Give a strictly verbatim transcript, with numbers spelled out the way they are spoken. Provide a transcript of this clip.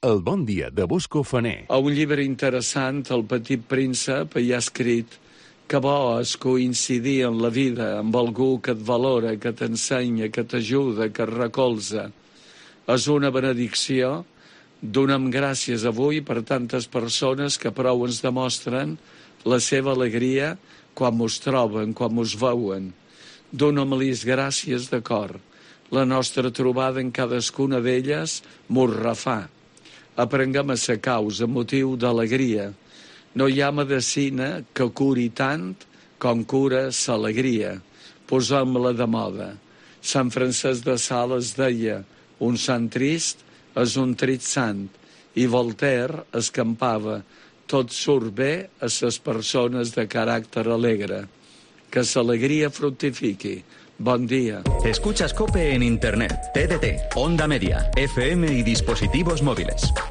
El bon dia de Bosco Faner. A un llibre interessant, El petit príncep, hi ha escrit que bo és coincidir en la vida amb algú que et valora, que t'ensenya, que t'ajuda, que et recolza. És una benedicció. Donem gràcies avui per tantes persones que prou ens demostren la seva alegria quan mos troben, quan mos veuen. Donem-los gràcies de cor. La nostra trobada en cadascuna d'elles mos refà. Aprenguem a ser causa, motiu d'alegria. No hi ha medicina que curi tant com cura l'alegria. Posem-la de moda. Sant Francesc de Sales deia: un sant trist és un trist sant. I Voltaire escampava: tot surt bé a les persones de caràcter alegre. Que l'alegria fructifiqui. Bon dia. Escuchas COPE en Internet, T D T, Onda Media, F M y dispositivos móviles.